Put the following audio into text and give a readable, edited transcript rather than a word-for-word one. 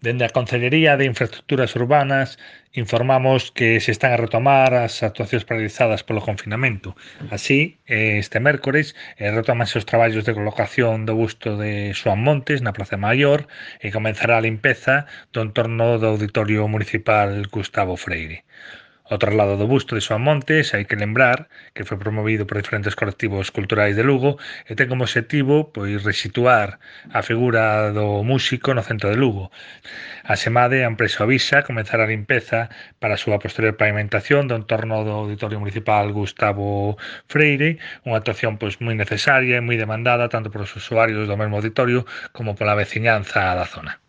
Dende a Concellería de Infraestructuras Urbanas informamos que se están a retomar as actuacións paralizadas polo confinamento. Así, este mércores retómanse os traballos de colocación do busto de Xoán Montes na Praza Maior e comenzará a limpeza do entorno do Auditorio Municipal Gustavo Freire. Ao traslado do busto de Xoán Montes hai que lembrar que foi promovido por diferentes colectivos culturais de Lugo e ten como obxectivo resituar a figura do músico no centro de Lugo. Asemade, a empresa Ovisa comezará a limpeza para a súa posterior pavimentación do entorno do Auditorio Municipal Gustavo Freire, unha actuación moi necesaria e moi demandada tanto polos usuarios do mesmo auditorio como pola veciñanza da zona.